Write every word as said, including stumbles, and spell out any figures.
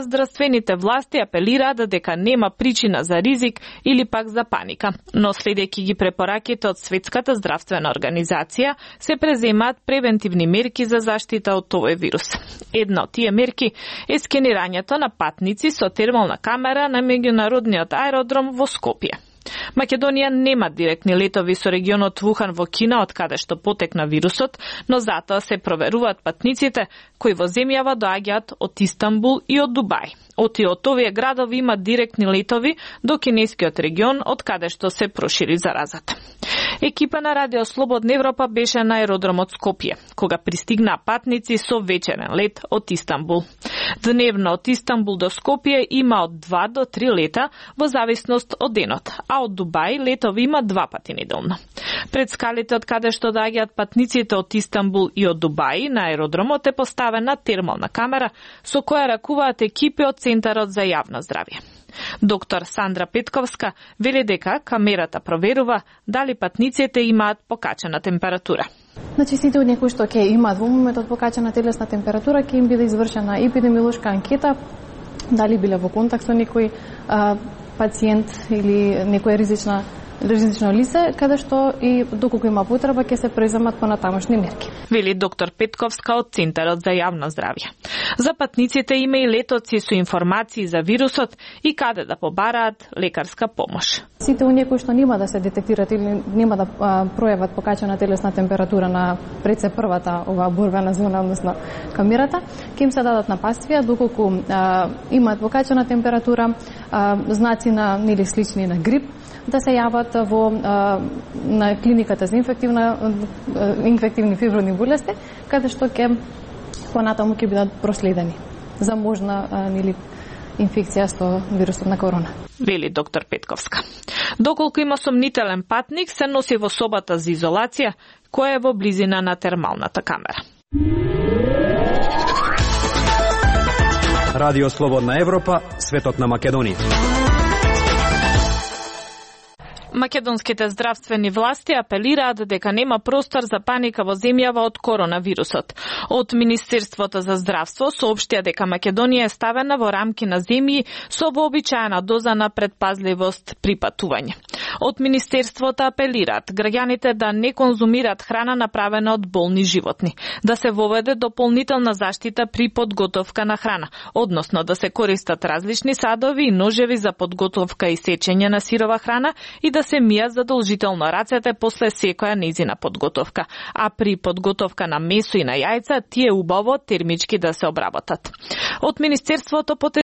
Здравствените власти апелираат дека нема причина за ризик или пак за паника, но следејќи ги препораките од Светската здравствена организација, се преземаат превентивни мерки за заштита од овој вирус. Една од тие мерки е скенирањето на патници со термална камера на меѓународниот аеродром во Скопје. Македонија нема директни летови со регионот Вухан во Кина, од каде што потекна вирусот, но затоа се проверуваат патниците кои во земјава доаѓаат од Истанбул и од Дубај. Оти од овие градови имаат директни летови до кинескиот регион, од каде што се прошири заразата. Екипа на Радио Слободна Европа беше на аеродромот Скопје, кога пристигнаа патници со вечерен лет од Истанбул. Дневно од Истанбул до Скопје има од два до три лета во зависност од денот, а од Дубај летови има два пати неделно. Пред скалите од каде што доаѓаат патниците од Истанбул и од Дубај на аеродромот е поставена термална камера со која ракуваат екипи од Центарот за јавно здравје. Доктор Сандра Петковска вели дека камерата проверува дали патниците имаат покачена температура. Значи, сите од некои што ќе имаат во моментот покачена телесна температура, ќе им биде извршена епидемиолошка анкета, дали биле во контакт со некој а, пациент или некоја ризична ризично лице, каде што и доколку има потреба ќе се преземат понатамошни мерки. Вели доктор Петковска од Центарот за јавно здравје. За патниците има и летоци со информации за вирусот и каде да побараат лекарска помош. Сите оние кои што нема да се детектираат или нема да а, пројават покачена телесна температура на пред се првата оваа борбена зона, односно камерата, ќе им се дадат напаствија доколку а, имаат покачена температура, а, знаци на нели слични на грип, да се јават во а, на клиниката за инфективна инфективни фиброзни болести, каде што ќе понатаму ќе бидат проследени за можна а, нели инфекција со вирусот на корона. Вели доктор Петковска. Доколку има сомнителен патник, се носи во собата за изолација, која е во близина на термалната камера. Радио Слободна Европа, светот на Македонија. Македонските здравствени власти апелираат дека нема простор за паника во земјава од коронавирусот. Од Министерството за здравство соопштија дека Македонија е ставена во рамки на земји со вообичаена доза на предпазливост при патување. Од Министерството апелираат граѓаните да не конзумираат храна направена од болни животни, да се воведе дополнителна заштита при подготовка на храна, односно да се користат различни садови и ножеви за подготовка и сечење на сирова храна и да се мијат задолжително рацете после секоја нејзина подготовка, а при подготовка на месо и на јајца тие убаво термички да се обработат. Од Министерството